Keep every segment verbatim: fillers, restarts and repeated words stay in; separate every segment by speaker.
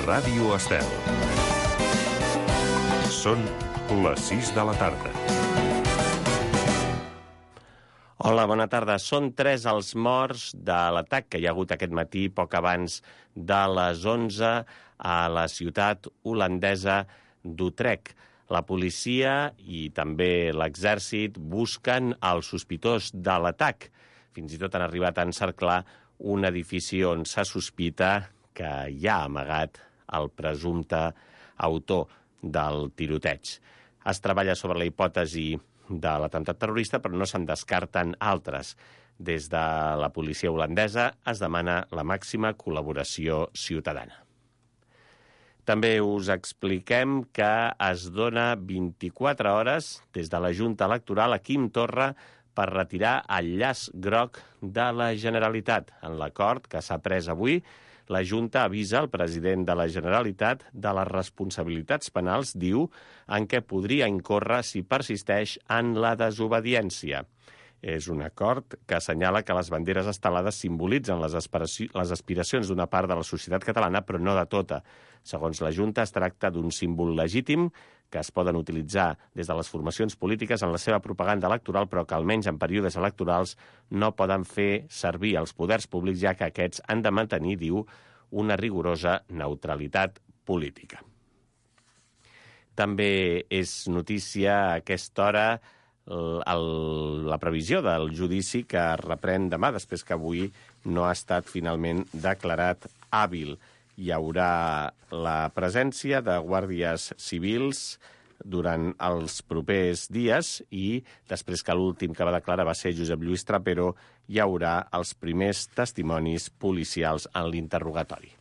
Speaker 1: Ràdio Estel. Són les sis de la tarda.
Speaker 2: Hola, bona tarda. Són tres els morts de l'atac que hi ha hagut aquest matí, poc abans de les onze, a la ciutat holandesa d'Utrecht. La policia i també l'exèrcit busquen el sospitós de l'atac. Fins i tot han arribat a encerclar un edifici on se sospita que hi ha amagat el presumpte autor del tiroteig. Es treballa sobre la hipòtesi de l'atemptat terrorista, però no se'n descarten altres. Des de la policia holandesa es demana la màxima col·laboració ciutadana. També us expliquem que es dona vint-i-quatre hores des de la Junta Electoral a Quim Torra per retirar el llaç groc de la Generalitat. En l'acord que s'ha pres avui, la Junta avisa el president de la Generalitat de les responsabilitats penals, diu, en què podria incórrer si persisteix en la desobediència. És un acord que assenyala que les banderes estelades simbolitzen les, les aspiracions d'una part de la societat catalana, però no de tota. Segons la Junta, es tracta d'un símbol legítim que es poden utilitzar des de les formacions polítiques en la seva propaganda electoral, però que almenys en períodes electorals no poden fer servir els poders públics, ja que aquests han de mantenir, diu, una rigorosa neutralitat política. També és notícia a aquesta hora el, el, la previsió del judici que es reprèn demà, després que avui no ha estat finalment declarat hàbil. Hi haurà la presència de guàrdies civils durant els propers dies i després que l'últim que va declarar va ser Josep Lluís Trapero, hi haurà els primers testimonis policials en l'interrogatori.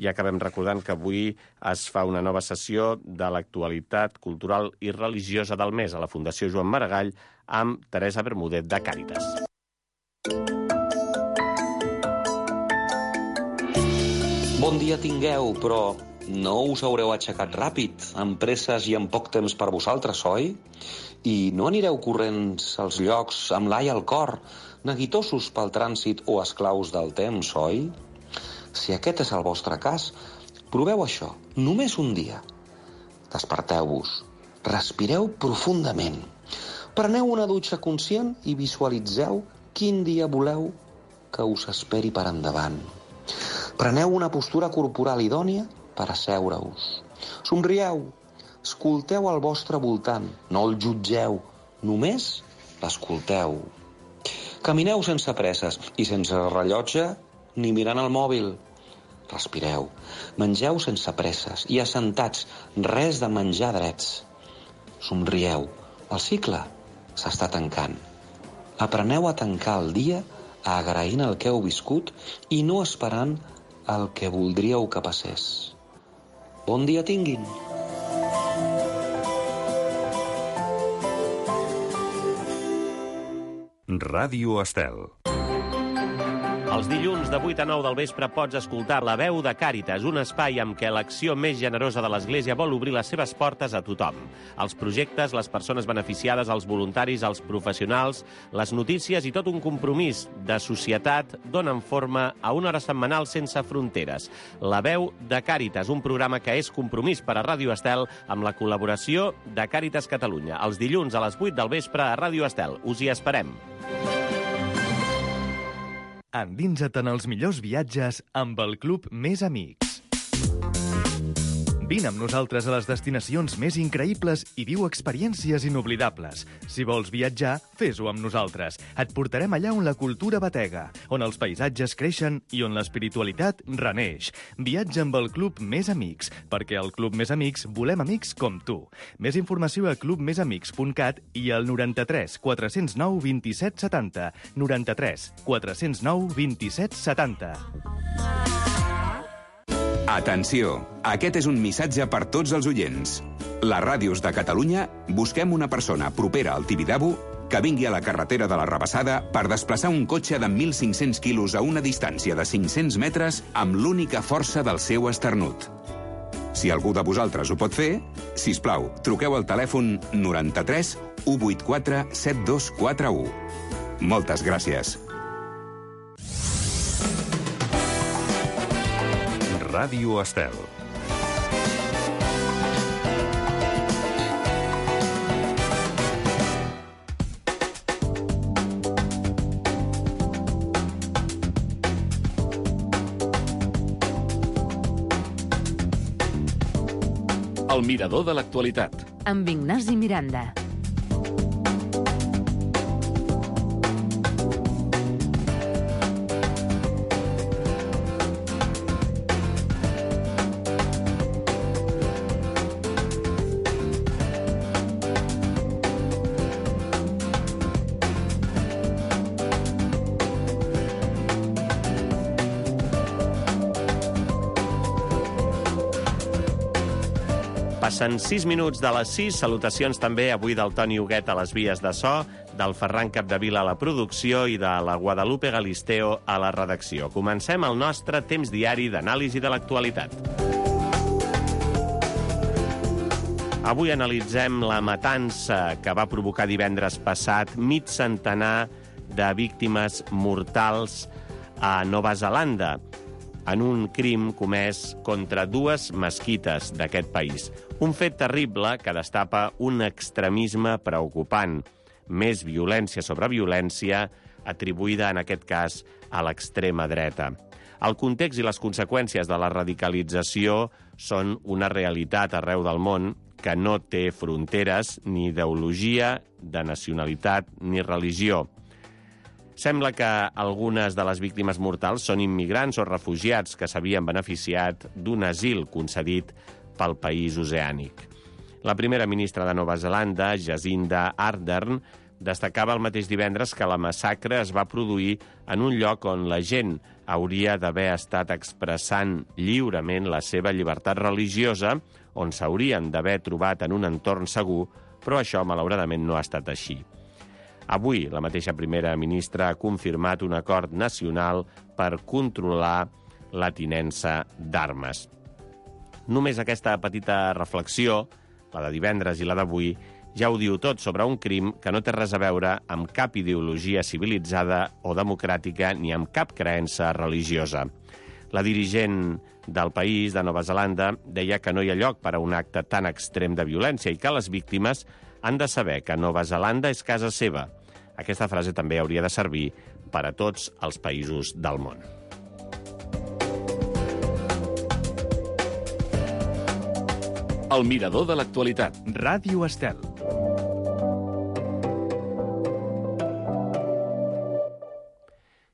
Speaker 2: I acabem recordant que avui es fa una nova sessió de l'actualitat cultural i religiosa del mes a la Fundació Joan Maragall amb Teresa Bermúdez de Càritas.
Speaker 3: Bon dia tingueu, però no us haureu aixecat ràpid, amb presses i amb poc temps per vosaltres, oi? I no anireu corrents als llocs amb l'ai al cor, neguitosos pel trànsit o esclaus del temps, oi? Si aquest és el vostre cas, proveu això, només un dia. Desperteu-vos, respireu profundament, preneu una dutxa conscient i visualitzeu quin dia voleu que us esperi per endavant. Preneu una postura corporal idònia per asseure-us. Somrieu, escolteu al vostre voltant, no el jutgeu, només l'escolteu. Camineu sense presses i sense rellotge ni mirant el mòbil. Respireu, mengeu sense presses i assentats, res de menjar drets. Somrieu, el cicle s'està tancant. Apreneu a tancar el dia agraint el que heu viscut i no esperant el que voldríeu que passés. Bon dia tinguin!
Speaker 1: Ràdio Estel.
Speaker 2: Els dilluns de vuit a nou del vespre pots escoltar La Veu de Càritas, un espai amb què l'acció més generosa de l'Església vol obrir les seves portes a tothom. Els projectes, les persones beneficiades, els voluntaris, els professionals, les notícies i tot un compromís de societat donen forma a una hora setmanal sense fronteres. La Veu de Càritas, un programa que és compromís per a Ràdio Estel amb la col·laboració de Càritas Catalunya. Els dilluns a les vuit del vespre a Ràdio Estel. Us hi esperem.
Speaker 4: Endinsa't en els millors viatges amb el Club Més Amics. Vine amb nosaltres a les destinacions més increïbles i viu experiències inoblidables. Si vols viatjar, fes-ho amb nosaltres. Et portarem allà on la cultura batega, on els paisatges creixen i on l'espiritualitat reneix. Viatja amb el Club Més Amics, perquè al Club Més Amics volem amics com tu. Més informació a club més amics punt cat i al noranta-tres quatre zero nou vint-i-set setanta. noranta-tres quatre zero nou vint-i-set setanta.
Speaker 5: Atenció, aquest és un missatge per tots els oients. Les ràdios de Catalunya busquem una persona propera al Tibidabo que vingui a la carretera de la Rabassada per desplaçar un cotxe de mil cinc-cents quilos a una distància de cinc-cents metres amb l'única força del seu esternut. Si algú de vosaltres ho pot fer, sisplau, truqueu al telèfon noranta-tres u vuitanta-quatre set dos quatre u. Moltes gràcies.
Speaker 1: Ràdio Estel. El mirador de l'actualitat.
Speaker 6: Amb Ignasi Miranda.
Speaker 2: Passen sis minuts de les sis. Salutacions també avui del Toni Huguet a les vies de so, del Ferran Capdevila a la producció i de la Guadalupe Galisteo a la redacció. Comencem el nostre temps diari d'anàlisi de l'actualitat. Avui analitzem la matança que va provocar divendres passat mig centenar de víctimes mortals a Nova Zelanda, en un crim comès contra dues mesquites d'aquest país. Un fet terrible que destapa un extremisme preocupant. Més violència sobre violència, atribuïda en aquest cas a l'extrema dreta. El context i les conseqüències de la radicalització són una realitat arreu del món que no té fronteres ni ideologia, de nacionalitat ni religió. Sembla que algunes de les víctimes mortals són immigrants o refugiats que s'havien beneficiat d'un asil concedit pel país oceànic. La primera ministra de Nova Zelanda, Jacinda Ardern, destacava el mateix divendres que la massacre es va produir en un lloc on la gent hauria d'haver estat expressant lliurement la seva llibertat religiosa, on s'haurien d'haver trobat en un entorn segur, però això, malauradament, no ha estat així. Avui, la mateixa primera ministra ha confirmat un acord nacional per controlar la tinença d'armes. Només aquesta petita reflexió, la de divendres i la d'avui, ja ho diu tot sobre un crim que no té res a veure amb cap ideologia civilitzada o democràtica ni amb cap creença religiosa. La dirigent del país, de Nova Zelanda, deia que no hi ha lloc per a un acte tan extrem de violència i que les víctimes han de saber que Nova Zelanda és casa seva. Aquesta frase també hauria de servir per a tots els països del món.
Speaker 1: El mirador de l'actualitat.
Speaker 4: Ràdio Estel.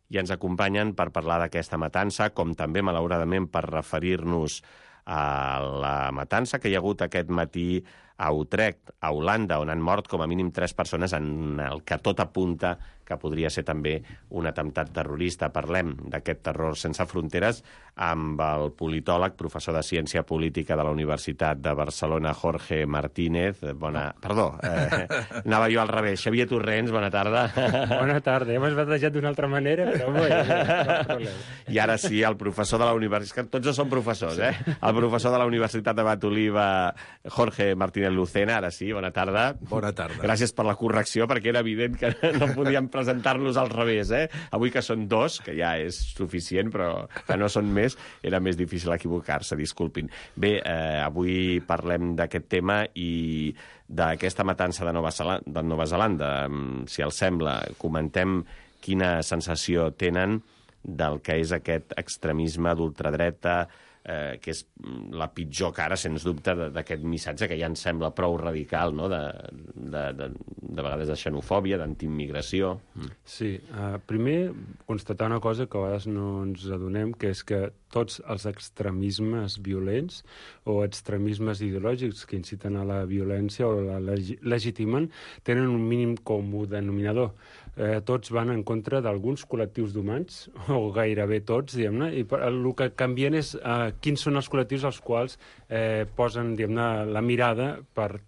Speaker 2: I ens acompanyen per parlar d'aquesta matança, com també, malauradament, per referir-nos a la matança que hi ha hagut aquest matí a Utrecht, a Holanda, on han mort com a mínim tres persones en el que tot apunta que podria ser també un atemptat terrorista. Parlem d'aquest terror sense fronteres amb el politòleg, professor de Ciència Política de la Universitat de Barcelona, Jorge Martínez. Bona... Perdó, eh, anava jo al revés. Xavier Torrents, bona tarda.
Speaker 7: Bona tarda. Ja m'has batejat d'una altra manera, però bueno, no cap problema.
Speaker 2: I ara sí, el professor de la Universitat... Tots dos són professors, eh? El professor de la Universitat de Batoliva, Jorge Martínez Lucena, ara sí, bona tarda.
Speaker 8: Bona tarda.
Speaker 2: Gràcies per la correcció, perquè era evident que no podíem presentar-los al revés, eh? Avui que són dos, que ja és suficient, però que no són més, era més difícil equivocar-se, disculpin. Bé, eh, avui parlem d'aquest tema i d'aquesta matança de Nova Zelanda, de Nova Zelanda. Si els sembla, comentem quina sensació tenen del que és aquest extremisme d'ultradreta, eh, que és la pitjor cara, sens dubte, d'aquest missatge que ja ens sembla prou radical, no? de, de, de, de vegades de xenofòbia, d'antiimmigració.
Speaker 7: Sí, uh, primer constatar una cosa que a vegades no ens adonem, que és que tots els extremismes violents o extremismes ideològics que inciten a la violència o la leg legitimen tenen un mínim comú denominador. Eh, tots van en contra d'alguns col·lectius d'humans, o gairebé tots, diguem-ne, i per, el que canvien és eh, quins són els col·lectius als quals eh, posen, diguem-ne, la mirada per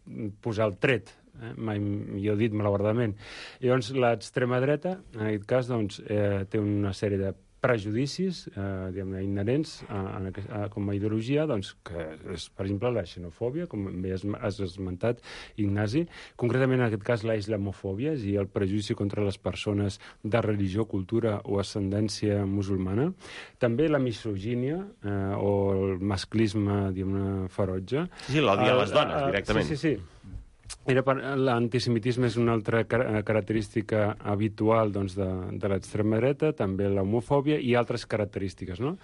Speaker 7: posar el tret. Eh? Mai millor dit, malauradament. Llavors, l'extrema dreta, en aquest cas, doncs, eh, té una sèrie de prejudicis eh, diguem-ne, inherents a, a, a, com a ideologia, doncs, que és, per exemple, la xenofòbia, com bé has, has esmentat, Ignasi, concretament en aquest cas la islamofòbia, és a dir, el prejudici contra les persones de religió, cultura o ascendència musulmana, també la misogínia eh, o el masclisme, diguem-ne, ferotge.
Speaker 2: Sí, l'odi a les dones, directament.
Speaker 7: Sí, sí, sí. Era per, l'antisemitisme és una altra car característica habitual doncs, de, de l'extrema dreta, també l'homofòbia i altres característiques, no?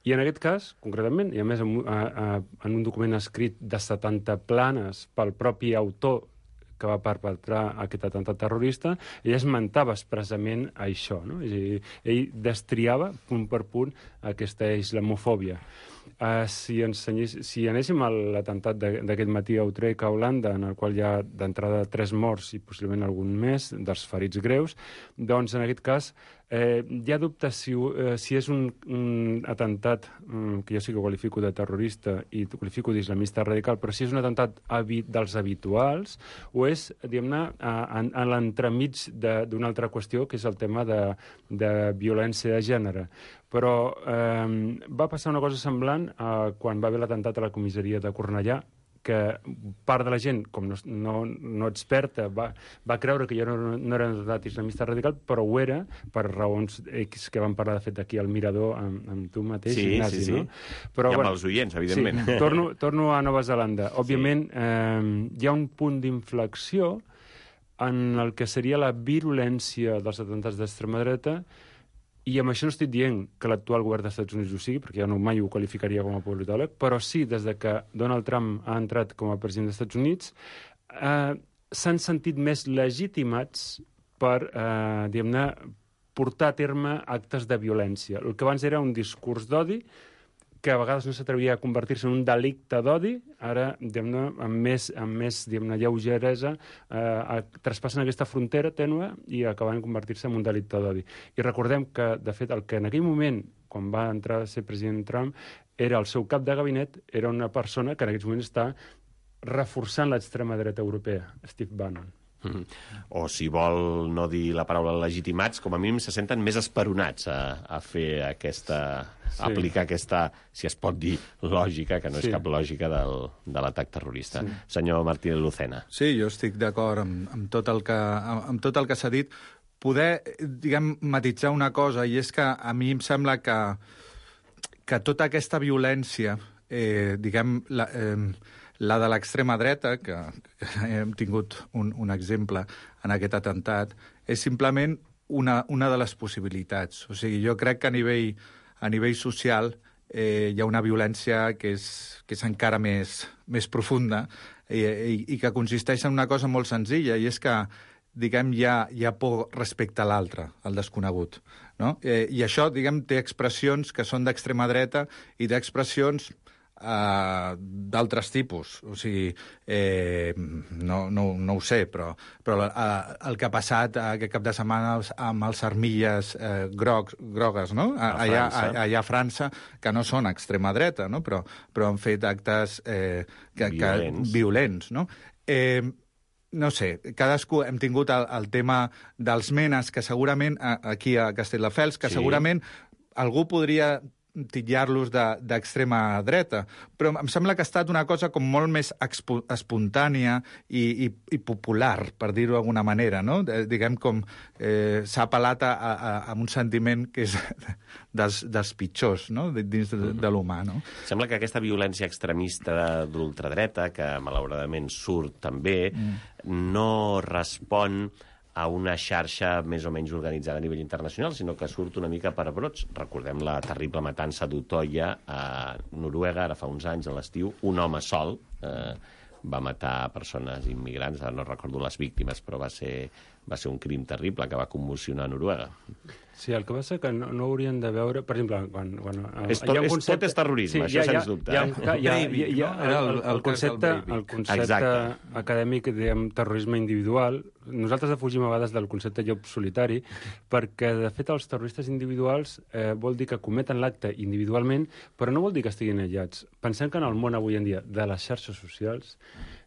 Speaker 7: I en aquest cas, concretament, i a més en, a, a, en un document escrit de setanta planes pel propi autor que va perpetrar aquest atemptat terrorista, ell esmentava expressament això, no? És a dir, ell destriava punt per punt aquesta islamofòbia. Uh, si, ensenyés, si anéssim a l'atemptat d'aquest matí a Utrecht, a Holanda, en el qual hi ha d'entrada tres morts i possiblement algun més dels ferits greus, doncs en aquest cas eh, hi ha dubte si, eh, si és un, un atemptat um, que jo sí que qualifico de terrorista i qualifico d'islamista radical, però si és un atemptat habi dels habituals o és, diguem-ne, a, a, a l'entremig d'una altra qüestió, que és el tema de, de violència de gènere. Però eh, va passar una cosa semblant eh, quan va haver l'atemptat a la comissaria de Cornellà, que part de la gent, com no, no, no experta, va, va creure que jo no, no era un atemptat islamista radical, però ho era, per raons X que vam parlar, de fet, aquí al Mirador, amb, amb tu mateix,
Speaker 2: sí,
Speaker 7: Ignasi,
Speaker 2: sí, sí.
Speaker 7: no? Però,
Speaker 2: I amb
Speaker 7: bueno,
Speaker 2: els oients, evidentment.
Speaker 7: Sí, torno, torno a Nova Zelanda. Òbviament, sí. eh, hi ha un punt d'inflexió en el que seria la virulència dels atemptats d'extrema dreta. I amb això no estic dient que l'actual govern dels Estats Units ho sigui, perquè jo no mai ho qualificaria com a politòleg, però sí, des de que Donald Trump ha entrat com a president dels Estats Units, eh, s'han sentit més legitimats per, eh, diguem-ne, portar a terme actes de violència. El que abans era un discurs d'odi, que a vegades no s'atrevia a convertir-se en un delicte d'odi, ara, diguem-ne, amb més, amb més diguem-ne, lleugeresa, eh, traspassen aquesta frontera tènue i acaben convertir-se en un delicte d'odi. I recordem que, de fet, el que en aquell moment, quan va entrar a ser president Trump, era el seu cap de gabinet, era una persona que en aquests moments està reforçant l'extrema dreta europea, Steve Bannon.
Speaker 2: Mm. O, si vol no dir la paraula legitimats, com a mínim se senten més esperonats a, a fer aquesta... Sí. A aplicar aquesta, si es pot dir, lògica, que no és sí. cap lògica del, de l'atac terrorista. Sí. Senyor Martínez Lucena.
Speaker 8: Sí, jo estic d'acord amb, amb tot el que, amb, amb tot el que s'ha dit. Poder, diguem, matitzar una cosa, i és que a mi em sembla que, que tota aquesta violència, eh, diguem, la, eh, la de l'extrema dreta, que, que hem tingut un, un exemple en aquest atemptat, és simplement una, una de les possibilitats. O sigui, jo crec que a nivell, a nivell social eh, hi ha una violència que és, que és encara més, més profunda i, i, i que consisteix en una cosa molt senzilla, i és que, diguem, hi ha, hi ha por respecte a l'altre, al desconegut, no? Eh, I això, diguem, té expressions que són d'extrema dreta i té expressions Uh, d'altres tipus. O sigui, eh, no, no, no ho sé, però, però uh, el que ha passat uh, aquest cap de setmana amb els armilles uh, grocs, grogues, no? A, a allà, a, allà a França, que no són extrema dreta, no? Però, però han fet actes eh, que, violents. Que, violents, no? Eh, no sé, cadascú hem tingut el, el tema dels menes, que segurament, aquí a Castelldefels, que sí. segurament algú podria titllar-los d'extrema de, dreta, però em sembla que ha estat una cosa com molt més espontània i, i, i popular, per dir-ho d'alguna manera, no? De, diguem com eh, s'ha apel·lat a, a, a un sentiment que és dels, dels pitjors, no? Dins de, de l'humà, no?
Speaker 2: Sembla que aquesta violència extremista d'ultradreta, que malauradament surt també, mm. no respon a una xarxa més o menys organitzada a nivell internacional, sinó que surt una mica per brots. Recordem la terrible matança d'Utoya a Noruega, ara fa uns anys, a l'estiu. Un home sol eh, va matar persones immigrants, ara no recordo les víctimes, però va ser, va ser un crim terrible que va commocionar Noruega.
Speaker 7: Sí, el que passa que no, no haurien de veure... Per exemple, quan... quan
Speaker 2: és tot, és, concepte... tot és terrorisme, sí, això sens dubte.
Speaker 7: Hi ha, hi ha, hi ha, hi ha, el, el, el concepte, el concepte acadèmic de terrorisme individual, nosaltres defugim a vegades del concepte llop solitari, perquè, de fet, els terroristes individuals eh, vol dir que cometen l'acte individualment, però no vol dir que estiguin aïllats. Pensem que en el món avui en dia de les xarxes socials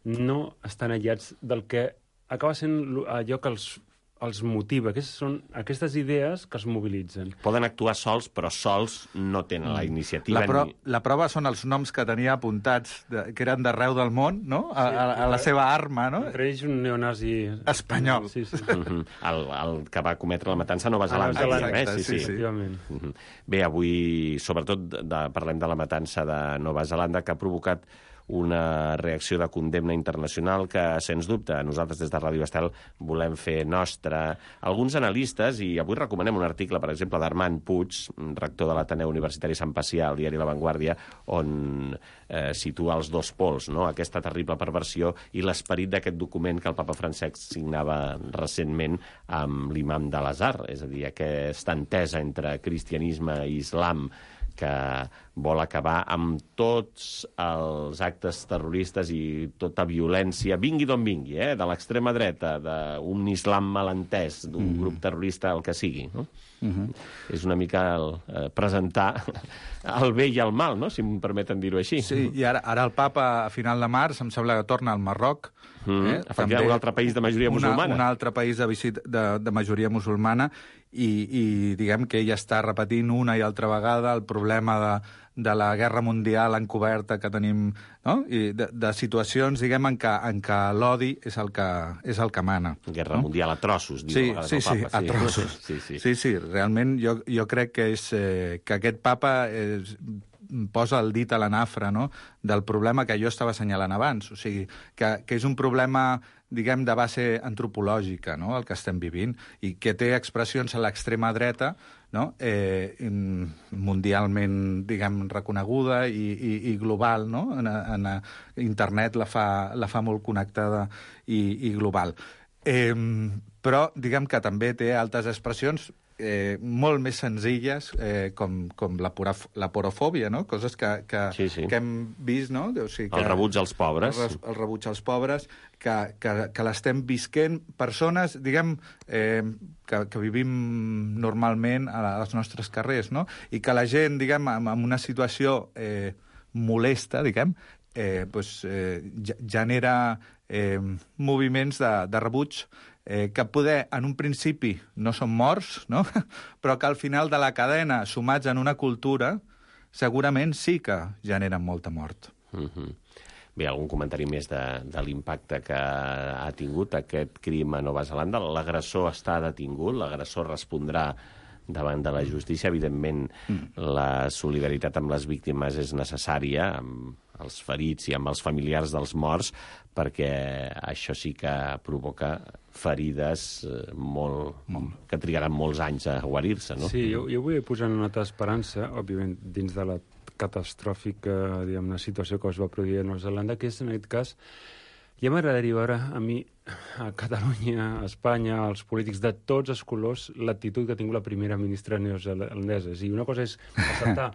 Speaker 7: no estan aïllats del que acaba sent allò que els els motiva. Aquestes són aquestes idees que els mobilitzen.
Speaker 2: Poden actuar sols, però sols no tenen la iniciativa.
Speaker 8: La, pro
Speaker 2: ni...
Speaker 8: la prova són els noms que tenia apuntats, de, que eren d'arreu del món, no? A, a, a la seva arma, no?
Speaker 7: Entre ells un neonazi...
Speaker 8: espanyol.
Speaker 7: Sí, sí.
Speaker 2: el, el que va cometre la matança a Nova Zelanda.
Speaker 7: Ah,
Speaker 2: eh?
Speaker 8: Exacte,
Speaker 2: sí, sí.
Speaker 8: sí,
Speaker 7: sí.
Speaker 2: Bé, avui, sobretot, de, parlem de la matança de Nova Zelanda, que ha provocat una reacció de condemna internacional que, sens dubte, nosaltres des de Ràdio Estel volem fer nostra. Alguns analistes, i avui recomanem un article, per exemple, d'Armand Puig, rector de l'Ateneu Universitari Sant Pacià, al diari La Vanguardia, on eh, situa els dos pols, no? Aquesta terrible perversió i l'esperit d'aquest document que el papa Francesc signava recentment amb l'imam de l'Azhar, és a dir, aquesta entesa entre cristianisme i islam que vol acabar amb tots els actes terroristes i tota violència, vingui d'on vingui, eh? De l'extrema dreta, d'un islam malentès, d'un mm. grup terrorista, el que sigui, no? Mm-hmm. És una mica el, eh, presentar el bé i el mal, no? Si em permeten dir-ho així.
Speaker 8: Sí, i ara, ara el papa, a final de març, em sembla que torna al Marroc.
Speaker 2: Mm. Eh? També un altre país de majoria
Speaker 8: una,
Speaker 2: musulmana.
Speaker 8: Un altre país de, visit, de, de majoria musulmana i, i diguem que ell està repetint una i altra vegada el problema de, de la guerra mundial encoberta que tenim, no? I de, de situacions, diguem, en què, en què l'odi és el que, és el que mana.
Speaker 2: Guerra no? mundial a trossos, diu
Speaker 8: sí,
Speaker 2: a vegades
Speaker 8: sí,
Speaker 2: el papa.
Speaker 8: Sí, a trossos.
Speaker 2: Sí, sí.
Speaker 8: sí, sí, realment jo, jo crec que, és, eh, que aquest papa és, posa el dit a la nafra, no?, del problema que jo estava assenyalant abans. O sigui, que, que és un problema, diguem, de base antropològica, no?, el que estem vivint, i que té expressions a l'extrema dreta, no?, eh, mundialment, diguem, reconeguda i, i, i global, no?, en, en, internet la fa, la fa molt connectada i, i global. Eh, però, diguem que també té altres expressions Eh, molt més senzilles, eh, com, com la, pura, la porofòbia, no? Coses que, que,
Speaker 2: sí, sí.
Speaker 8: que hem vist, no? O sigui, que,
Speaker 2: el rebuig als pobres.
Speaker 8: El, el rebuig als pobres, que, que, que l'estem visquent persones, diguem, eh, que, que vivim normalment als nostres carrers, no? I que la gent, diguem, en, en una situació eh, molesta, diguem, eh, pues, eh, genera eh, moviments de, de rebuig Eh, que poder, en un principi, no són morts, no? Però que al final de la cadena, sumats en una cultura, segurament sí que generen molta mort.
Speaker 2: Mm-hmm. Bé, algun comentari més de, de l'impacte que ha tingut aquest crim a Nova Zelanda? L'agressor està detingut, l'agressor respondrà davant de la justícia. Evidentment, mm. la solidaritat amb les víctimes és necessària, amb els ferits i amb els familiars dels morts, perquè això sí que provoca ferides eh, molt, mm. que trigaran molts anys a guarir-se, no?
Speaker 7: Sí, jo, jo vull posar una nota d'esperança, òbviament, dins de la catastròfica, diguem-ne, situació que es va produir a Nova Zelanda, que és, en aquest cas, ja m'agradaria veure a mi, a Catalunya, a Espanya, als polítics de tots els colors, l'actitud que ha tingut la primera ministra neozelandesa. És a dir, una cosa és acceptar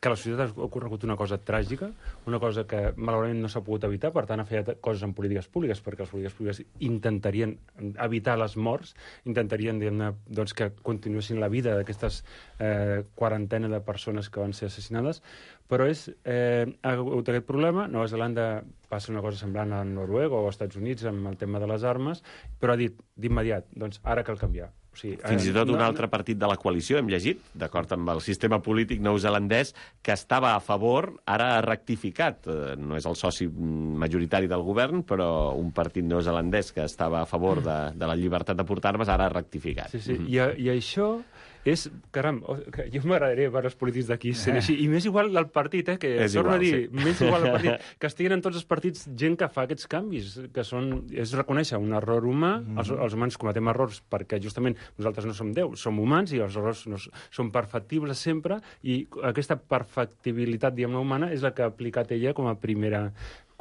Speaker 7: que a la societat ha ocorregut una cosa tràgica, una cosa que malauradament no s'ha pogut evitar, per tant ha fet coses en polítiques públiques, perquè les polítiques públiques intentarien evitar les morts, intentarien, diguem-ne, doncs, que continuessin la vida d'aquestes eh, quarantena de persones que van ser assassinades, però és, eh, ha hagut aquest problema. Nova Zelanda passa una cosa semblant a Noruega o als Estats Units amb el tema de les armes, però ha dit d'immediat, doncs ara cal canviar. O sigui,
Speaker 2: fins i tot un no, altre partit de la coalició, hem llegit, d'acord amb el sistema polític neozelandès, que estava a favor, ara ha rectificat. No és el soci majoritari del govern, però un partit neozelandès que estava a favor de, de la llibertat de portar armes ara ha rectificat.
Speaker 7: Sí, sí. Mm-hmm. I, I això és, caram, jo m'agradaria veure els polítics d'aquí sent així, i més igual el partit, eh, que
Speaker 2: és
Speaker 7: torno
Speaker 2: igual,
Speaker 7: a dir,
Speaker 2: sí.
Speaker 7: més igual el partit, que estiguin en tots els partits gent que fa aquests canvis, que són, és reconèixer un error humà, mm. els, els humans cometem errors perquè justament nosaltres no som Déu, som humans i els errors no, són perfectibles sempre, i aquesta perfectibilitat, diguem-ne, humana és la que ha aplicat ella com a primera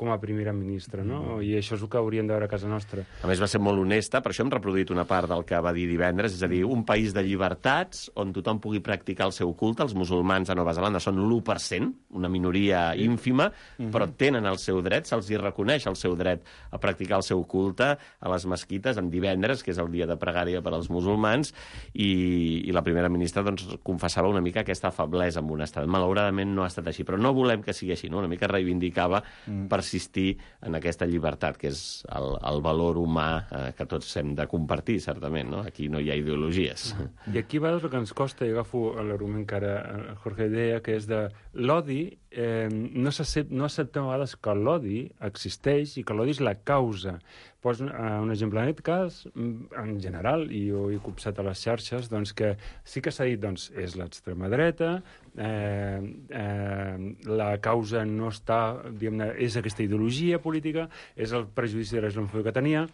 Speaker 7: com a primera ministra, no? I això és el que hauríem de veure a casa nostra.
Speaker 2: A més, va ser molt honesta, per això hem reproduït una part del que va dir divendres, és a dir, un país de llibertats on tothom pugui practicar el seu culte. Els musulmans a Nova Zelanda són l'u per cent, una minoria ínfima, mm-hmm. però tenen el seu dret, se'ls hi reconeix el seu dret a practicar el seu culte a les mesquites en divendres, que és el dia de pregària per als musulmans, i, i la primera ministra doncs, confessava una mica aquesta feblesa amb un estat. Malauradament no ha estat així, però no volem que sigui així, no? Una mica reivindicava mm. per persistir en aquesta llibertat, que és el, el valor humà eh, que tots hem de compartir, certament, no? Aquí no hi ha ideologies.
Speaker 7: I aquí va el que ens costa, i agafo l'argument que ara Jorge deia, que és de l'odi eh, no, no acceptem a vegades que l'odi existeix i que l'odi és la causa. Poso uh, un exemple en aquest cas, en general, i jo he copsat a les xarxes, doncs que sí que s'ha dit, doncs, és l'extrema dreta, eh, eh, la causa no està, diguem-ne, és aquesta ideologia política, és el prejudici de la islamofòbia que tenia.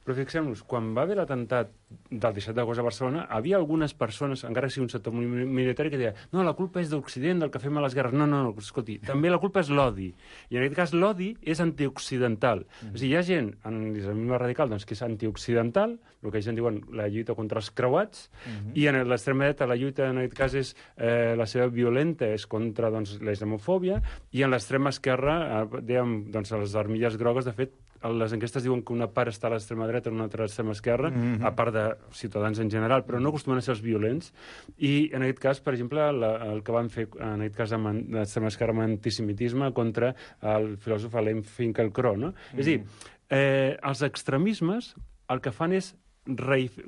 Speaker 7: Però fixem-nos, quan va haver l'atemptat del disset d'agost a Barcelona, havia algunes persones, encara que sigui un sector minoritari, que deia no, la culpa és d'Occident, del que fem a les guerres. No, no, no, escolti, també la culpa és l'odi. I en aquest cas l'odi és antioccidental. Mm. És a dir, hi ha gent en l'islamisme radical doncs, que és antioccidental, el que ells en diuen la lluita contra els creuats, mm-hmm. i en l'extrema dreta la lluita en aquest cas és eh, la seva violenta, és contra doncs, la islamofòbia, i en l'extrema esquerra, eh, dèiem, doncs, les armilles grogues, de fet, les enquestes diuen que una part està a l'extrema dreta i una altra a l'extrema esquerra, mm-hmm. a part de ciutadans en general, però no acostumen a ser els violents. I en aquest cas, per exemple, la, el que van fer en aquest cas amb l'extrema esquerra amb antisemitisme contra el filòsof Alain Finkielkraut, no? Mm-hmm. És a dir, eh, els extremismes el que fan és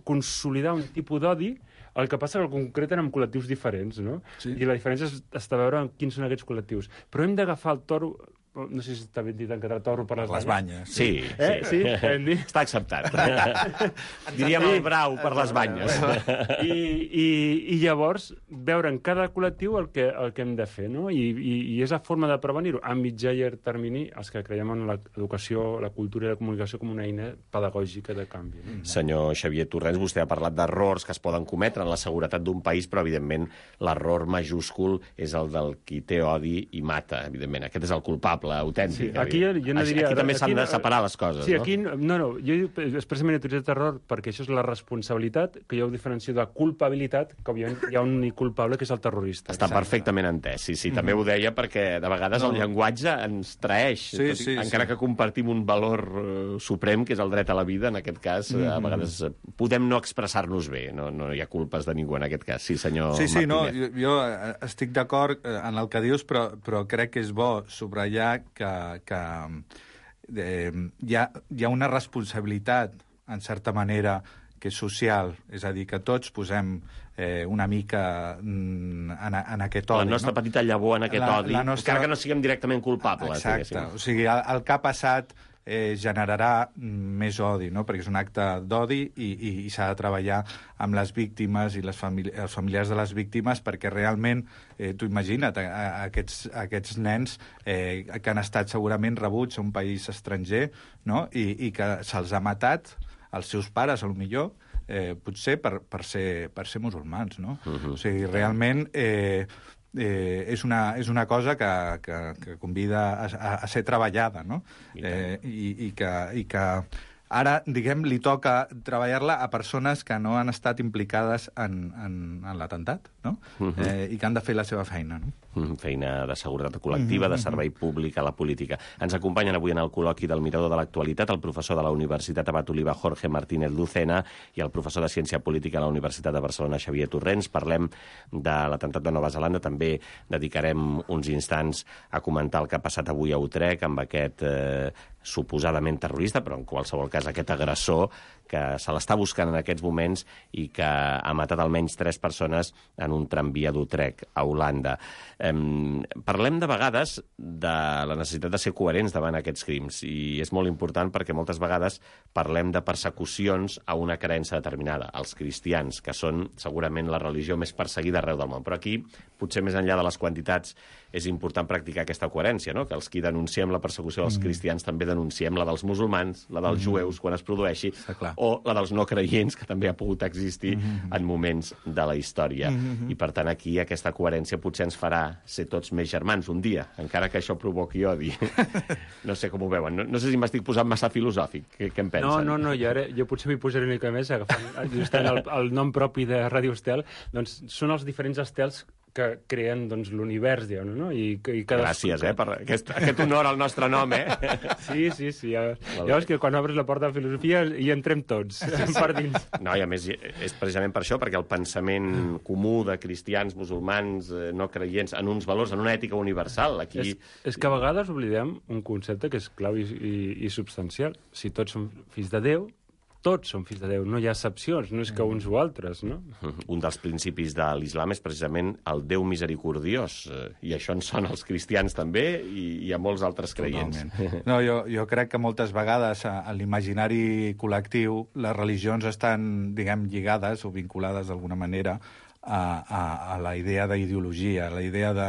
Speaker 7: consolidar un tipus d'odi, el que passa que el concreten amb col·lectius diferents, no? Sí. I la diferència està a veure quins són aquests col·lectius. Però hem d'agafar el toro, no sé si està ben dit en català, toro per les,
Speaker 8: les banyes.
Speaker 2: Sí,
Speaker 7: eh?
Speaker 2: sí. sí. Està acceptat. Diríem el brau per les banyes.
Speaker 7: I, i, i llavors veure en cada col·lectiu el que, el que hem de fer, no? I, i, i és la forma de prevenir-ho. A mitjà i a llarg termini, els que creiem en l'educació, la cultura i la comunicació com una eina pedagògica de canvi. No?
Speaker 2: Senyor Xavier Torrents, vostè ha parlat d'errors que es poden cometre en la seguretat d'un país, però, evidentment, l'error majúscul és el del qui té odi i mata, evidentment. Aquest és el culpable autèntic.
Speaker 7: Sí, aquí, jo no diria,
Speaker 2: aquí també
Speaker 7: aquí
Speaker 2: s'han de
Speaker 7: no,
Speaker 2: separar les coses,
Speaker 7: sí,
Speaker 2: no?
Speaker 7: Aquí, no, no, jo expressament he utilitzat error perquè això és la responsabilitat, que jo ho diferencio de culpabilitat, que òbviament hi ha un únic culpable, que és el terrorista.
Speaker 2: Està Exacte. perfectament entès, sí, sí. Mm-hmm. També ho deia perquè de vegades no. el llenguatge ens traeix,
Speaker 8: sí,
Speaker 2: tot,
Speaker 8: sí,
Speaker 2: encara sí. que compartim un valor uh, suprem, que és el dret a la vida, en aquest cas, mm-hmm. a vegades uh, podem no expressar-nos bé, no, no hi ha culpes de ningú en aquest cas. Sí, senyor
Speaker 8: Sí, sí,
Speaker 2: Martínez.
Speaker 8: no, jo, jo estic d'acord en el que dius, però, però crec que és bo subratllar que, que eh, hi, ha, hi ha una responsabilitat, en certa manera, que és social, és a dir, que tots posem eh, una mica en, en aquest odi.
Speaker 2: La nostra
Speaker 8: no?
Speaker 2: petita llavor en aquest
Speaker 8: la,
Speaker 2: odi,
Speaker 8: la nostra...
Speaker 2: encara que no siguem directament culpables.
Speaker 8: Exacte,
Speaker 2: diguéssim.
Speaker 8: o sigui, el, el que ha passat eh, generarà més odi, no? Perquè és un acte d'odi i, i, i s'ha de treballar amb les víctimes i les famili els familiars de les víctimes perquè realment, eh, tu imagina't, a, a, aquests, aquests nens eh, que han estat segurament rebuts a un país estranger, no? I, i que se'ls ha matat els seus pares, potser, eh, potser per, per, ser, per ser musulmans, no? Uh-huh. O sigui, realment... Eh, Eh, és, una, és una cosa que, que, que convida a, a, a ser treballada, no? Eh, i, i, que, i que ara, diguem, li toca treballar-la a persones que no han estat implicades en, en, en l'atemptat, no? Uh-huh. eh, i que han de fer la seva feina, no?
Speaker 2: Uh-huh. Feina de seguretat col·lectiva, uh-huh. de servei públic a la política. Ens acompanyen avui en el col·loqui del Mirador de l'Actualitat el professor de la Universitat Abat Oliva, Jorge Martínez Lucena, i el professor de Ciència Política a la Universitat de Barcelona, Xavier Torrents. Parlem de l'atemptat de Nova Zelanda. També dedicarem uns instants a comentar el que ha passat avui a Utrecht amb aquest eh, suposadament terrorista, però en qualsevol cas aquest agressor que se l'està buscant en aquests moments i que ha matat almenys tres persones en un tramvia d'Utrecht, a Holanda. Eh, parlem de vegades de la necessitat de ser coherents davant aquests crims, i és molt important perquè moltes vegades parlem de persecucions a una creença determinada, els cristians, que són segurament la religió més perseguida arreu del món. Però aquí, potser més enllà de les quantitats, és important practicar aquesta coherència, no? Que els qui denunciem la persecució dels mm. cristians també denunciem la dels musulmans, la dels mm. jueus, quan es produeixi, o la dels no creients, que també ha pogut existir mm. en moments de la història. Mm. I, per tant, aquí aquesta coherència potser ens farà ser tots més germans un dia, encara que això provoqui odi. No sé com ho veuen. No, no sé si m'estic posant massa filosòfic. Què, què en pensen?
Speaker 7: No, no, no. Jo, ara, jo potser m'hi posaré una mica més, agafant justament el, el nom propi de Ràdio Estel. Doncs són els diferents estels que creen doncs, l'univers, diguem, no? I, i cada...
Speaker 2: Gràcies, eh, per aquest, aquest honor al nostre nom, eh?
Speaker 7: Sí, sí, sí. Llavors que quan obres la porta de filosofia hi entrem tots, per dins.
Speaker 2: No, i a més és precisament per això, perquè el pensament comú de cristians, musulmans, no creients, en uns valors, en una ètica universal, aquí...
Speaker 7: És, és que a vegades oblidem un concepte que és clau i, i, i substancial. Si tots som fills de Déu, tots són fills de Déu, no hi ha excepcions, no és que uns o altres, no?
Speaker 2: Un dels principis de l'islam és precisament el Déu misericordiós, i això en són els cristians també i, i a molts altres creients.
Speaker 8: Totalment. No, jo, jo crec que moltes vegades a, a l'imaginari col·lectiu les religions estan, diguem, lligades o vinculades d'alguna manera a, a, a la idea d'ideologia, a la idea de,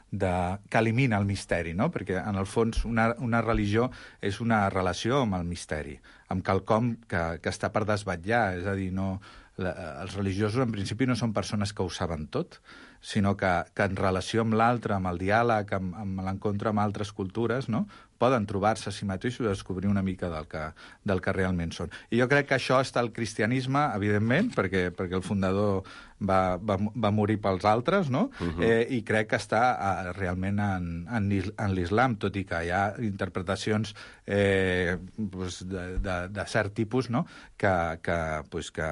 Speaker 8: de, que elimina el misteri, no? Perquè, en el fons, una, una religió és una relació amb el misteri, amb quelcom que, que està per desvetllar, és a dir, no, la, els religiosos en principi no són persones que ho saben tot, sinó que, que en relació amb l'altre, amb el diàleg, amb, amb l'encontre amb altres cultures, no? Poden trobar-se a si mateixos i descobrir una mica del que, del que realment són. I jo crec que això està al cristianisme, evidentment, perquè, perquè el fundador va, va, va morir pels altres, no? Uh-huh. eh, I crec que està uh, realment en, en, en l'islam, tot i que hi ha interpretacions eh, pues, de, de, de cert tipus, no? que, que, pues, que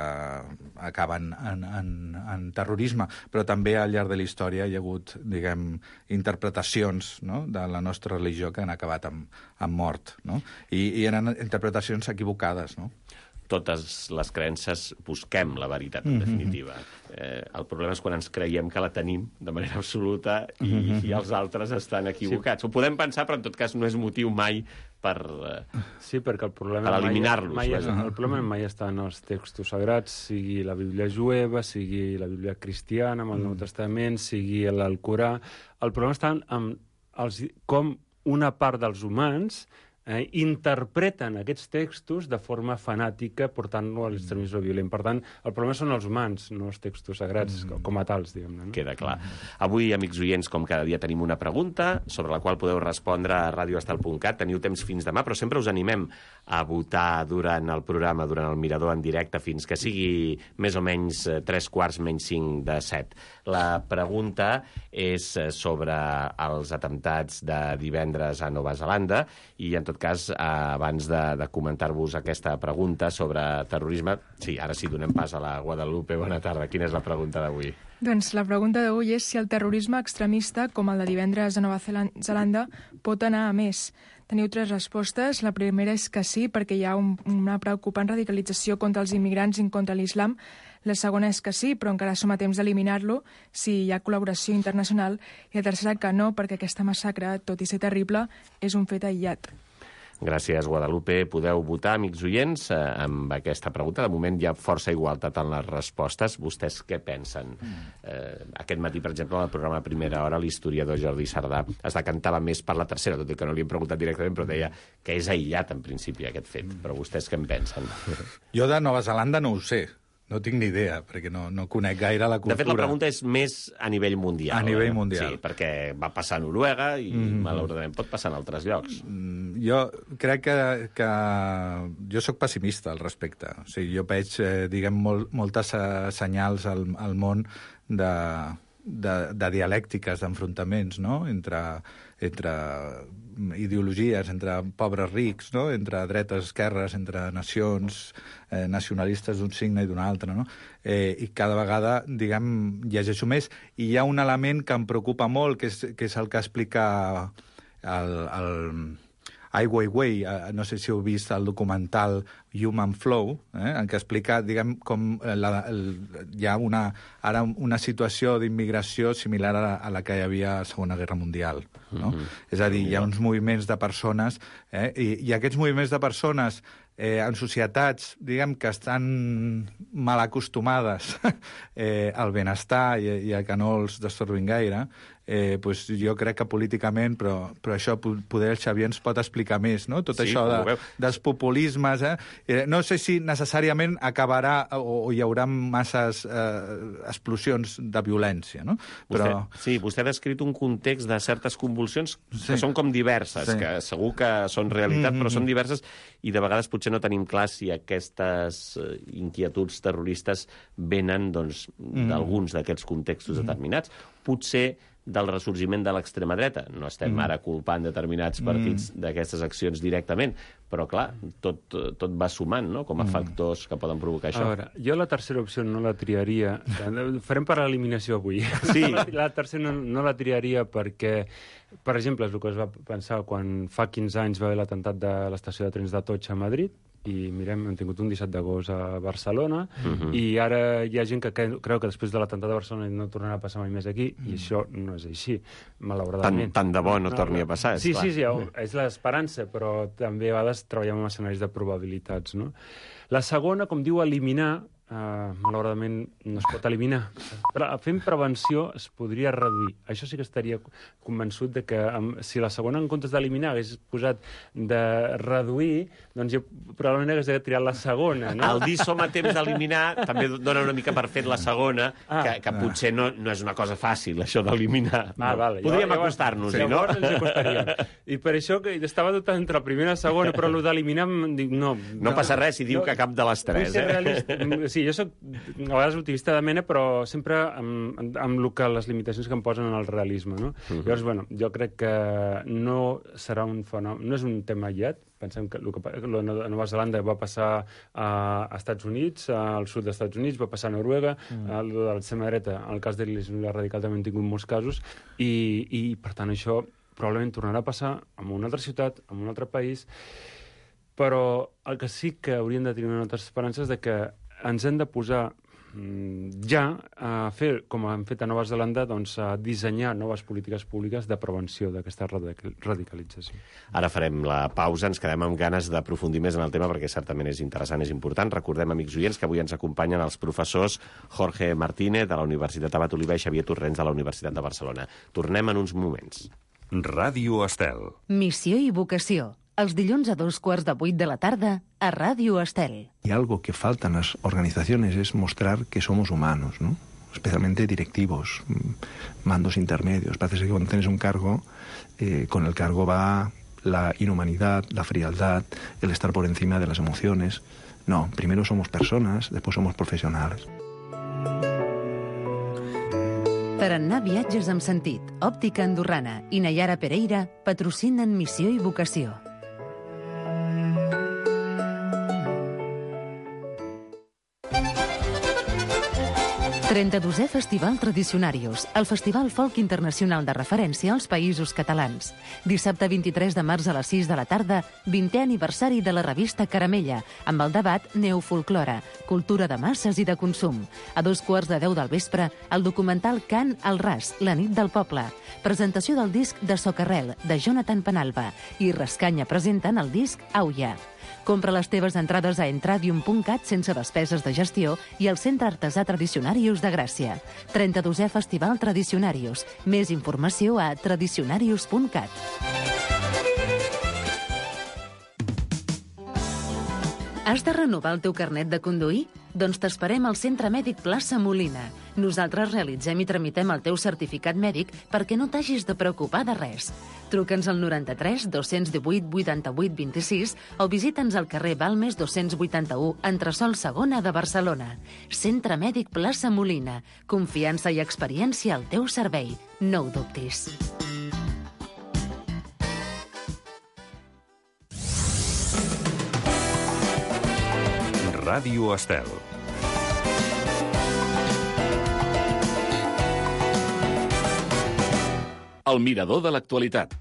Speaker 8: acaben en, en, en terrorisme, però també al llarg de la història hi ha hagut, diguem, interpretacions, no? de la nostra religió que han acabat amb, amb mort, no? I, i eren interpretacions equivocades, no?
Speaker 2: Totes les creences busquem la veritat, en definitiva. Eh, el problema és quan ens creiem que la tenim de manera absoluta i, mm-hmm. i els altres estan equivocats. Sí. Ho podem pensar, però en tot cas no és motiu mai per, eh,
Speaker 7: sí, perquè el problema
Speaker 2: per eliminar-los.
Speaker 7: Mai, mai, el problema mai està en els textos sagrats, sigui la Bíblia jueva, sigui la Bíblia cristiana, amb el Nou Testament, sigui l'Alcorà. El problema està en els, com una part dels humans eh, interpreten aquests textos de forma fanàtica, portant-lo a l'extremisme violent. Per tant, el problema són els humans, no els textos sagrats, mm. com a tals, diguem-ne. No?
Speaker 2: Queda clar. Avui, amics oients, com cada dia tenim una pregunta sobre la qual podeu respondre a radioestal punt cat. Teniu temps fins demà, però sempre us animem a votar durant el programa, durant el Mirador en directe, fins que sigui més o menys tres quarts menys cinc de set. La pregunta és sobre els atemptats de divendres a Nova Zelanda i, en tot cas, abans de, de comentar-vos aquesta pregunta sobre terrorisme, sí, ara sí, donem pas a la Guadalupe. Bona tarda. Quina és la pregunta d'avui?
Speaker 9: Doncs la pregunta d'avui és si el terrorisme extremista, com el de divendres a Nova Zelanda, pot anar a més. Teniu tres respostes. La primera és que sí, perquè hi ha un, una preocupant radicalització contra els immigrants i contra l'islam. La segona és que sí, però encara som a temps d'eliminar-lo si hi ha col·laboració internacional. I la tercera que no, perquè aquesta massacre, tot i ser terrible, és un fet aïllat.
Speaker 2: Gràcies, Guadalupe. Podeu votar, amics oients, eh, amb aquesta pregunta. De moment hi ha força igualtat en les respostes. Vostès què pensen? Eh, aquest matí, per exemple, al programa Primera Hora, l'historiador Jordi Sardà es decantava més per la tercera, tot i que no li hem preguntat directament, però deia que és aïllat, en principi, aquest fet. Però vostès què en pensen?
Speaker 8: Jo de Nova Zelanda no ho sé. No tinc ni idea, perquè no, no conec gaire la cultura.
Speaker 2: De fet, la pregunta és més a nivell mundial.
Speaker 8: A nivell
Speaker 2: eh?
Speaker 8: mundial.
Speaker 2: Sí, perquè va passar a Noruega i, mm. malauradament, pot passar en altres llocs.
Speaker 8: Mm, jo crec que, que... Jo sóc pessimista al respecte. O sigui, jo veig, eh, diguem, molt, moltes eh, senyals al, al món de, de, de dialèctiques, d'enfrontaments, no?, entre, entre ideologies, entre pobres rics, no?, entre dretes, esquerres, entre nacions, eh, nacionalistes d'un signe i d'un altre, no? Eh, I cada vegada, diguem, llegeixo més. I hi ha un element que em preocupa molt, que és, que és el que explica el, el Ai Weiwei, eh, no sé si heu vist el documental Human Flow, eh, en què explica, diguem, com la, el, hi ha una, ara una situació d'immigració similar a la, a la que hi havia a la Segona Guerra Mundial. No? Mm-hmm. És a dir, hi ha uns moviments de persones, eh, i, i aquests moviments de persones eh, en societats, diguem, que estan mal acostumades eh, al benestar i, i a que no els destorbin gaire, eh, pues jo crec que políticament, però, però això poder el Xavier ens pot explicar més, no? Tot sí, això de, dels populismes. Eh? Eh, no sé si necessàriament acabarà o, o hi haurà masses eh, explosions de violència, no? Però...
Speaker 2: Vostè, sí, vostè ha descrit un context de certes convulsions sí. que són com diverses, sí. que segur que són realitat, mm-hmm. però són diverses, i de vegades potser no tenim clar si aquestes inquietuds terroristes venen doncs, mm-hmm. d'alguns d'aquests contextos mm-hmm. determinats. Potser del ressorgiment de l'extrema dreta. No estem mm. ara culpant determinats partits mm. d'aquestes accions directament, però, clar, tot, tot va sumant, no?, com a factors que poden provocar això.
Speaker 7: A veure, jo la tercera opció no la triaria. Farem per l'eliminació avui.
Speaker 2: Sí.
Speaker 7: La tercera no, no la triaria perquè, per exemple, és el que es va pensar quan fa quinze anys va haver l'atemptat de l'estació de trens d'Atocha a Madrid. i mirem, hem tingut un disset d'agost a Barcelona,
Speaker 2: Mhm.
Speaker 7: i ara hi ha gent que cre- creu que després de l'atemptat de Barcelona no tornarà a passar mai més aquí, i això no és així, malauradament.
Speaker 2: Tant, tant de bo no torni a passar,
Speaker 7: Sí,
Speaker 2: esclar.
Speaker 7: sí, sí, és l'esperança, però també a vegades treballem en escenaris de probabilitats, no? La segona, com diu, eliminar, Uh, malauradament no es pot eliminar. Però fent prevenció es podria reduir. Això sí que estaria convençut de que um, si la segona, en comptes d'eliminar, hagués posat de reduir, doncs jo probablement hagués triat la segona, no?
Speaker 2: El dir som a temps d'eliminar també dona una mica per fet la segona,
Speaker 7: Ah.
Speaker 2: que, que potser no, no és una cosa fàcil, això d'eliminar.
Speaker 7: Ah,
Speaker 2: No.
Speaker 7: vale.
Speaker 2: Podríem
Speaker 7: Llavors-
Speaker 2: acostar-nos-hi, no?
Speaker 7: Llavors ens acostaríem. I per això que estava dubtant entre la primera i la segona, però el d'eliminar, em dic, no.
Speaker 2: No passa res si diu
Speaker 7: No,
Speaker 2: que cap de les
Speaker 7: Vull
Speaker 2: tres,
Speaker 7: ser
Speaker 2: eh?
Speaker 7: realista. Sí, jo soc a vegades optimista de mena, però sempre amb, amb el que, les limitacions que em posen en el realisme, no?
Speaker 2: Mhm.
Speaker 7: Llavors, bueno, jo crec que no serà un fenomen, no és un tema aïllat. Pensem que el que pa- lo de Nova Zelanda va passar a, a Estats Units, al sud dels Estats Units, va passar a Noruega,
Speaker 2: Mm.
Speaker 7: el de l'extrema dreta, el cas de l'Islam radical també hem tingut molts casos, i, i per tant això probablement tornarà a passar en una altra ciutat, en un altre país, però el que sí que hauríem de tenir una altra esperança és de que ens hem de posar mm, ja a fer, com han fet a Nova Zelanda, doncs a dissenyar noves polítiques públiques de prevenció d'aquesta radical- radicalització.
Speaker 2: Ara farem la pausa, ens quedem amb ganes d'aprofundir més en el tema perquè certament és interessant, és important. Recordem, amics oients, que avui ens acompanyen els professors Jorge Martínez de la Universitat Abat Oliva i Xavier Torrents de la Universitat de Barcelona. Tornem en uns moments.
Speaker 1: Ràdio Estel.
Speaker 6: Missió i vocació. Els dilluns a dos quarts de vuit de la tarda a Ràdio Estel.
Speaker 10: Y algo que falta en las organizaciones es mostrar que somos humanos, ¿no? Especialmente directivos, mm, mandos intermedios. Parece que cuando tienes un cargo, eh, con el cargo va la inhumanidad, la frialdad, el estar por encima de las emociones. No, primero somos personas, después somos profesionales.
Speaker 6: Tarannà Viatges amb sentit, Òptica Andorrana i Nayara Pereira patrocinen Missió i vocació. trenta-dosè Festival Tradicionarius, el festival folk internacional de referència als països catalans. Dissabte vint-i-tres de març a les sis de la tarda, vintè aniversari de la revista Caramella, amb el debat Neofolclora, cultura de masses i de consum. A dos quarts de deu del vespre, el documental Cant al ras, la nit del poble. Presentació del disc de Socarrel, de Jonathan Penalba, i Rascanya presenten el disc Auia. Compra les teves entrades a entradium punt cat sense despeses de gestió i al Centre Artesà Tradicionarius de Gràcia. trenta-dosè Festival Tradicionarius. Més informació a tradicionarius punt cat. Has de renovar el teu carnet de conduir? Doncs t'esperem al Centre Mèdic Plaça Molina. Nosaltres realitzem i tramitem el teu certificat mèdic perquè no t'hagis de preocupar de res. Truca'ns al noranta-tres dos-cents divuit vuitanta-vuit vint-i-sis o visita'ns al carrer Balmes dos-cents vuitanta-u, entresòl segona de Barcelona. Centre Mèdic Plaça Molina. Confiança i experiència al teu servei. No ho dubtis.
Speaker 1: Ràdio Estel. El mirador de l'actualitat.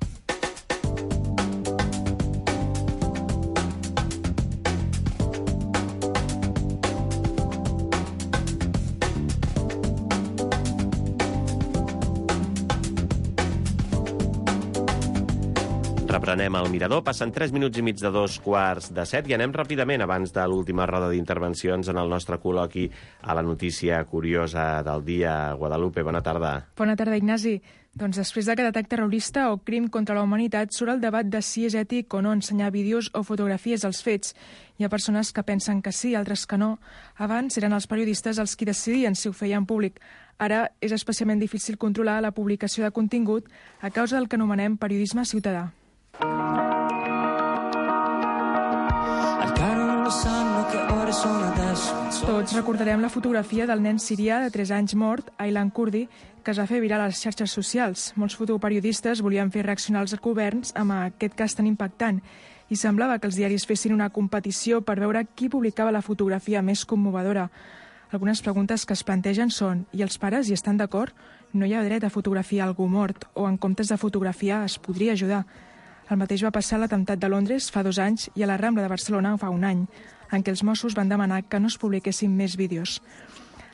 Speaker 2: Reprenem el mirador. Passen tres minuts i mig de dos quarts de set i anem ràpidament, abans de l'última roda d'intervencions, en el nostre col·loqui a la notícia curiosa del dia. Guadalupe, bona tarda.
Speaker 9: Bona tarda, Ignasi. Doncs després d'aquest atac terrorista o crim contra la humanitat surt el debat de si és ètic o no ensenyar vídeos o fotografies dels fets. Hi ha persones que pensen que sí, altres que no. Abans eren els periodistes els qui decidien si ho feien públic. Ara és especialment difícil controlar la publicació de contingut a causa del que anomenem periodisme ciutadà. Tots recordarem la fotografia del nen sirià de tres anys mort, Aylan Kurdi, que es va fer viral a les xarxes socials. Molts fotoperiodistes volien fer reaccionar els governs amb aquest cas tan impactant i semblava que els diaris fessin una competició per veure qui publicava la fotografia més commovedora. Algunes preguntes que es plantegen són: i els pares hi estan d'acord? No hi ha dret a fotografiar algú mort, o en comptes de fotografiar es podria ajudar. El mateix va passar a l'atemptat de Londres fa dos anys i a la Rambla de Barcelona fa un any, en què els Mossos van demanar que no es publiquessin més vídeos.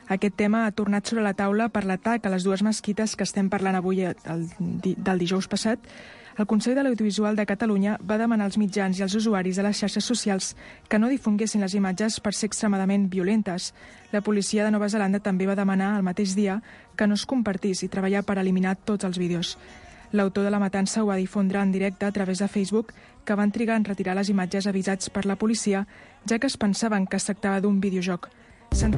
Speaker 9: Aquest tema ha tornat sobre la taula per l'atac a les dues mesquites que estem parlant avui el, del dijous passat. El Consell de l'Audiovisual de Catalunya va demanar als mitjans i als usuaris de les xarxes socials que no difonguessin les imatges per ser extremadament violentes. La policia de Nova Zelanda també va demanar el mateix dia que no es compartís i treballar per eliminar tots els vídeos. L'autor de la matança ho va difondre en directe a través de Facebook, que van trigar en retirar les imatges avisats per la policia, ja que es pensaven que es tractava d'un videojoc. Sent...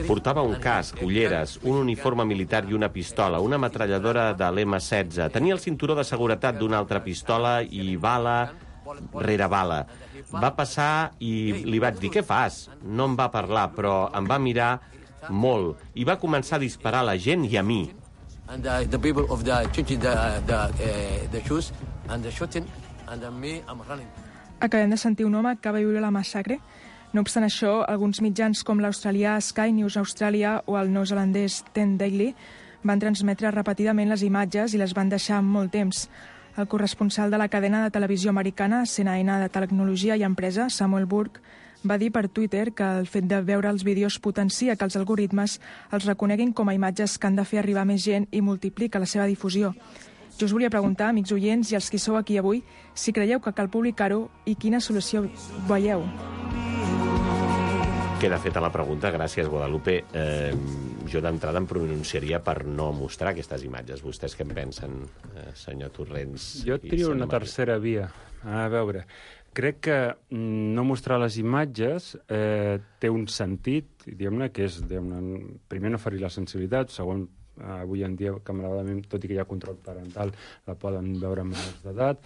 Speaker 2: Portava un casc, ulleres, un uniforme militar i una pistola, una metralladora de l'M setze. Tenia el cinturó de seguretat d'una altra pistola i bala rere bala. Va passar i li vaig dir, què fas? No em va parlar, però em va mirar molt i va començar a disparar a la gent i a mi. And uh, the people of the changing the the uh, the shoes and the shooting and me I'm running.
Speaker 9: Acabem de sentir un home que va viure la massacre. No obstant això, alguns mitjans com l'australià Sky News Australia o el neozelandès Ten Daily van transmetre repetidament les imatges i les van deixar molt temps. El corresponsal de la cadena de televisió americana C N N de Tecnologia i Empresa, Samuel Burke, va dir per Twitter que el fet de veure els vídeos potencia que els algoritmes els reconeguin com a imatges que han de fer arribar més gent i multiplica la seva difusió. Jo us volia preguntar, amics oients i els qui sou aquí avui, si creieu que cal publicar-ho i quina solució veieu.
Speaker 2: Queda feta la pregunta, gràcies, Guadalupe. Eh, jo d'entrada em pronunciaria per no mostrar aquestes imatges. Vostès què en pensen, eh, senyor Torrents?
Speaker 7: Jo trio una tercera via. A veure, crec que no mostrar les imatges eh, té un sentit, diguem-ne, que és, diguem-ne, primer no ferir la sensibilitat, segon, avui en dia, que malauradament, tot i que hi ha control parental, la poden veure menors d'edat,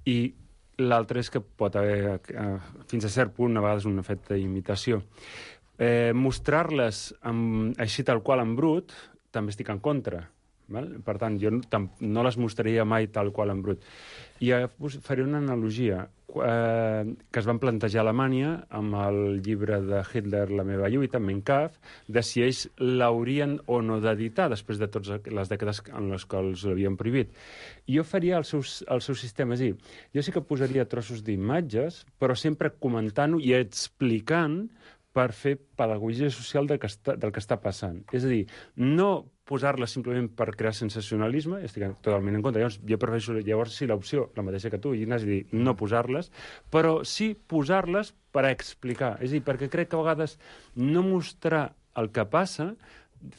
Speaker 7: i l'altre és que pot haver, eh, fins a cert punt, a vegades un efecte d'imitació. Eh, mostrar-les amb, així tal qual en brut, també estic en contra. Val? Per tant, jo no, no les mostraria mai tal qual en brut. I faré una analogia eh, que es van plantejar a Alemanya amb el llibre de Hitler, La meva lluita, Mein Kampf, de si ells l'haurien o no d'editar després de totes les dècades en les quals l'havien prohibit. I jo faria el seu, el seu sistema, és a dir, jo sí que posaria trossos d'imatges, però sempre comentant-ho i explicant per fer pedagogia social del que està, del que està passant. És a dir, no posar-les simplement per crear sensacionalisme, estic totalment en contra. Llavors, jo prefereixo llavors sí l'opció, la mateixa que tu, Ignasi, dir no posar-les, però sí posar-les per explicar. És a dir, perquè crec que a vegades no mostrar el que passa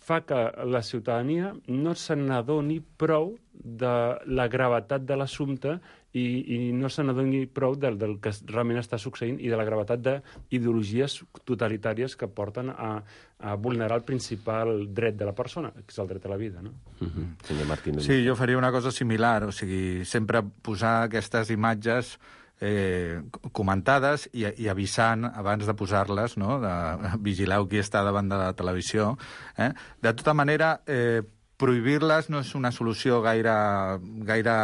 Speaker 7: fa que la ciutadania no se n'adoni prou de la gravetat de l'assumpte i, i no se n'adoni prou del, del que realment està succeint i de la gravetat d'ideologies totalitàries que porten a, a vulnerar el principal dret de la persona, que és el dret a la vida, no?
Speaker 2: Uh-huh. Senyor Martínez.
Speaker 8: Sí, jo faria una cosa similar, o sigui, sempre posar aquestes imatges eh, comentades i, i avisant abans de posar-les, no? De, vigileu qui està davant de la televisió. Eh? De tota manera, eh, prohibir-les no és una solució gaire, gaire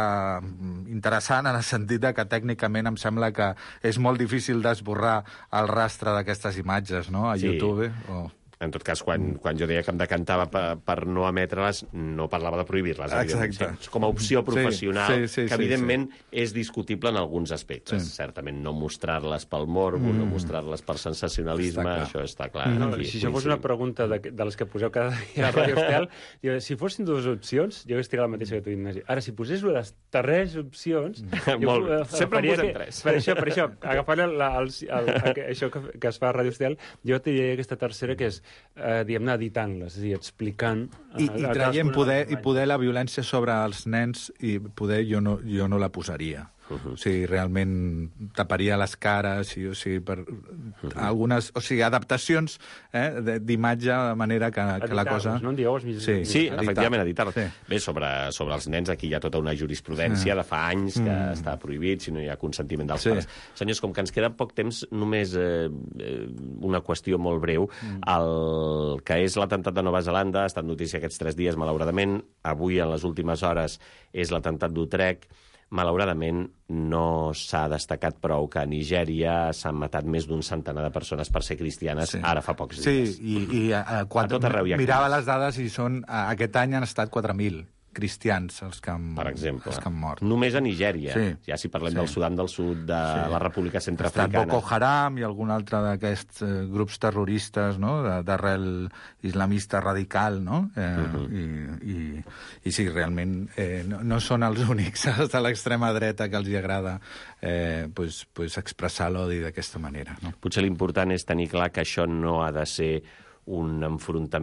Speaker 8: interessant en el sentit de que tècnicament em sembla que és molt difícil d'esborrar el rastre d'aquestes imatges, no? A
Speaker 2: sí.
Speaker 8: YouTube. O...
Speaker 2: En tot cas, quan, quan jo deia que em decantava per, per no emetre-les, no parlava de prohibir-les.
Speaker 8: Exacte.
Speaker 2: Com a opció professional,
Speaker 8: sí, sí, sí,
Speaker 2: que evidentment
Speaker 8: sí, sí.
Speaker 2: és discutible en alguns aspectes. Sí. Certament, no mostrar-les pel morbo, mm. no mostrar-les per sensacionalisme, està això està clar.
Speaker 7: No, aquí, si això fos una pregunta de, de les que poseu cada dia a Radio Estel, jo, si fossin dues opcions, jo hauria la mateixa que tu, Ignasi. Ara, si posés les tres opcions...
Speaker 2: Molt bé. Sempre en posem
Speaker 7: que,
Speaker 2: tres.
Speaker 7: Per això, per això agafant el, el, el, el, això que, que es fa a Radio Estel, jo te diria aquesta tercera, que és Eh, diguem-ne, editant-les, és a dir, explicant...
Speaker 8: I, i traient poder, i poder la violència sobre els nens, i poder jo no, jo no la posaria. Uh-huh. O sigui, realment taparia les cares, i, o sigui, per uh-huh. algunes... O sigui, adaptacions eh, d'imatge, de manera que, que la cosa...
Speaker 7: No en dieu els mitjans.
Speaker 2: Sí, sí editar. Efectivament, editar-los. Sí. Bé, sobre, sobre els nens, aquí hi ha tota una jurisprudència sí. de fa anys que mm. està prohibit si no hi ha consentiment dels sí. pares. Senyors, com que ens queda poc temps, només eh, una qüestió molt breu. Mm. El que és l'atemptat de Nova Zelanda ha estat notícia aquests tres dies, malauradament. Avui, en les últimes hores, és l'atemptat d'Utrecht. malauradament no s'ha destacat prou que a Nigèria s'han matat més d'un centenar de persones per ser cristianes
Speaker 8: Sí.
Speaker 2: ara fa pocs dies.
Speaker 8: Sí, i, i a, a, quatre,
Speaker 2: A tot arreu hi ha
Speaker 8: mirava
Speaker 2: crims.
Speaker 8: les dades i són, a, aquest any han estat quatre mil cristians els que han,
Speaker 2: Per exemple.
Speaker 8: els que han mort.
Speaker 2: Només a Nigèria.
Speaker 8: Sí.
Speaker 2: Ja si parlem
Speaker 8: Sí.
Speaker 2: del Sudan del Sud, de
Speaker 8: Sí.
Speaker 2: la República
Speaker 8: Ha estat
Speaker 2: Centreafricana.
Speaker 8: Boko Haram i algun altre d'aquests eh, grups terroristes, no?, de- d'arrel islamista radical, no? Eh,
Speaker 2: Mhm.
Speaker 8: i, i, I sí, realment eh, no, no són els únics els de l'extrema dreta que els hi agrada eh, pues, pues expressar l'odi d'aquesta manera, no?
Speaker 2: Potser l'important és tenir clar que això no ha de ser un enfrontament